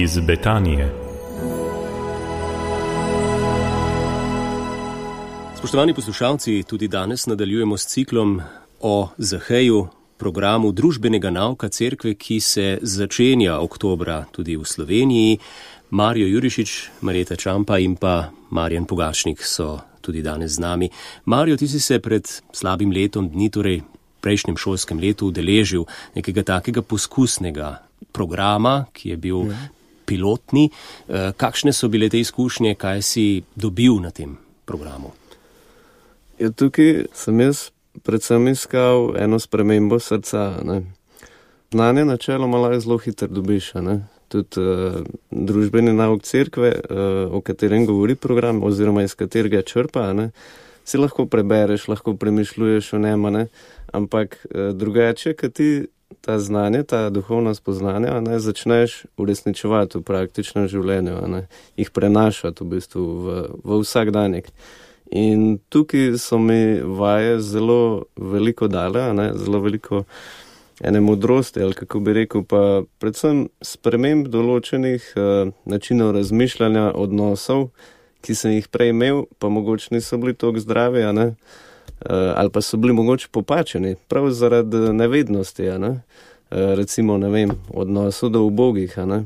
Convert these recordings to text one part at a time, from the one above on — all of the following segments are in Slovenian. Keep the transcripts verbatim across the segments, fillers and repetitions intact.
Iz Betanije. Spoštovani poslušalci, tudi danes nadaljujemo s ciklom o Zaheju, programu družbenega nauka cerkve, ki se začenja oktobra tudi v Sloveniji. Marijo Jurišič, Marjeta Čampa in pa Marjan Pogačnik so tudi danes z nami. Marijo, ti si se pred slabim letom dni, torej prejšnjem šolskem letu, udeležil nekega takega poskusnega programa, ki je bil ja. pilotni. Kakšne so bile te izkušnje, kaj si dobil na tem programu? Ja, tukaj sem jaz predvsem iskal eno spremembo srca. Ne. Znanje načeloma lahko zelo hitro dobiš. Ne. Tudi uh, družbeni nauk cerkve, uh, o katerem govori program, oziroma iz katerega črpa, ne, si lahko prebereš, lahko premišljuješ o njema, ne, ampak uh, drugače, kad ti ta znanje, ta duhovna spoznanja, ne, začneš uresničevati v praktičnem življenju, ne, jih prenašati v bistvu v, v vsakdanjik. In tukaj so mi vaje zelo veliko dale, ne, zelo veliko ene modrosti, ali kako bi rekel, pa predvsem sprememb določenih uh, načinov razmišljanja, odnosov, ki sem jih prej imel, pa mogoče niso bili toliko zdravi, a ne, uh, ali pa so bili mogoče popačeni, prav zaradi nevednosti, a ne, uh, recimo, ne vem, odnosu do ubogih, a ne,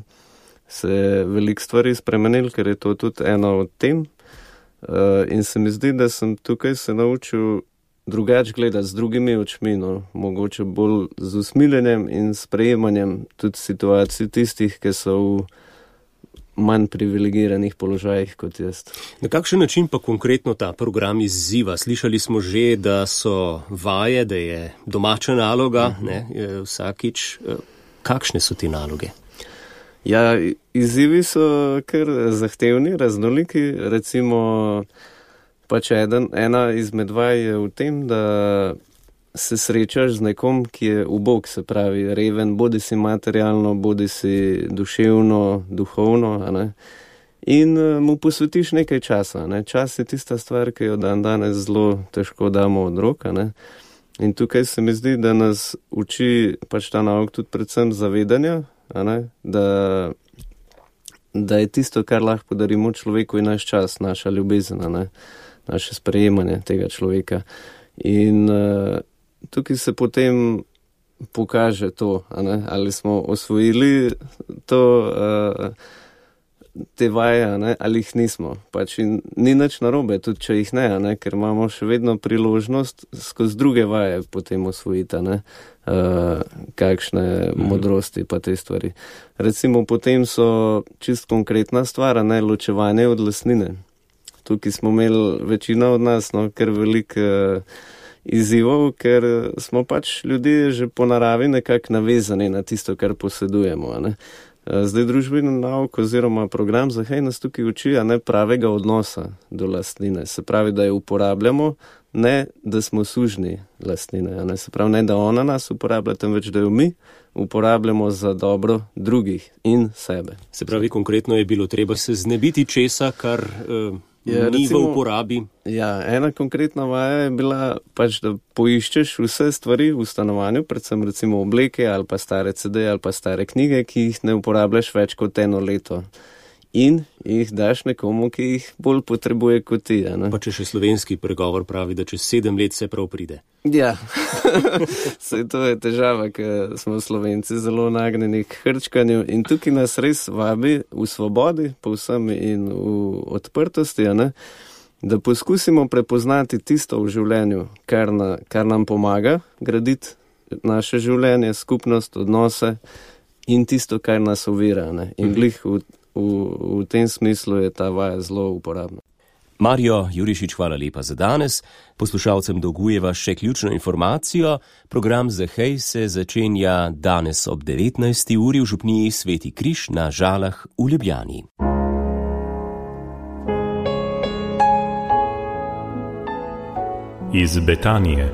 se veliko stvari spremenil, ker je to tudi eno od tem, uh, in se mi zdi, da sem tukaj se naučil drugače gledati z drugimi očmi, no, mogoče bolj z usmiljenjem in sprejemanjem tudi situacij tistih, ki so v manj privilegiranih položajih kot jaz. Na kakšen način pa konkretno ta program izziva? Slišali smo že, da so vaje, da je domača naloga, uh-huh. ne, vsakič. Kakšne so te naloge? Ja, izzivi so kar zahtevni, raznoliki, recimo pač eden, ena izmed vaj je v tem, da se srečaš z nekom, ki je ubog, se pravi reven, bodi si materialno, bodi si duševno, duhovno, a ne, in mu posvetiš nekaj časa. Ne. Čas je tista stvar, ki jo dan danes zelo težko damo od roka, ne. In tukaj se mi zdi, da nas uči pač ta nauk tudi predvsem zavedanja, a ne, da, da je tisto, kar lahko podarimo človeku, in naš čas, naša ljubezen, a ne, naše sprejemanje tega človeka. In uh, tukaj se potem pokaže to, a ne, ali smo osvojili to, uh, te vaje, a ne, ali jih nismo. Pač in ni nič narobe, tudi če jih ne, a ne, ker imamo še vedno priložnost skozi druge vaje potem osvojiti, a ne, uh, kakšne mm-hmm. modrosti pa te stvari. Recimo potem so čist konkretna stvar, a ne, ločevanje od lastnine. Tukaj smo imeli večina od nas, no, ker veliko uh, izzivov, ker smo pač ljudje že po naravi nekako navezani na tisto, kar posedujemo. A ne. Uh, zdaj družbeni nauk oziroma program Zahej nas tukaj uči, a ne, pravega odnosa do lastnine. Se pravi, da jo uporabljamo, ne da smo sužni lastnine. A ne. Se pravi, ne da ona nas uporablja, temveč da jo mi uporabljamo za dobro drugih in sebe. Se pravi, konkretno je bilo treba se znebiti česa, kar Uh... Ja, ni recimo, v uporabi. Ja, ena konkretna vaja je bila pač, da poiščeš vse stvari v stanovanju, predvsem recimo obleke ali pa stare ce de ali pa stare knjige, ki jih ne uporabljaš več kot eno leto. In jih daš nekomu, ki jih bolj potrebuje kot ti. Ne? Pa če še slovenski pregovor pravi, da čez sedem let se prav pride. Ja, saj to je težava, ker smo Slovenci zelo nagnjeni k hrčkanju in tukaj nas res vabi v svobodi, povsem in v odprtosti, ne? Da poskusimo prepoznati tisto v življenju, kar, na, kar nam pomaga graditi naše življenje, skupnost, odnose in tisto, kar nas ovira. Ne? In glih v V, v tem smislu je ta vaja zelo uporabna. Marijo Jurišič, hvala lepa za danes. Poslušalcem dolgujeva še ključno informacijo. Program Zahej se začenja danes ob devetnajsti uri v župniji Sveti Križ na Žalah v Ljubljani. Iz Betanije.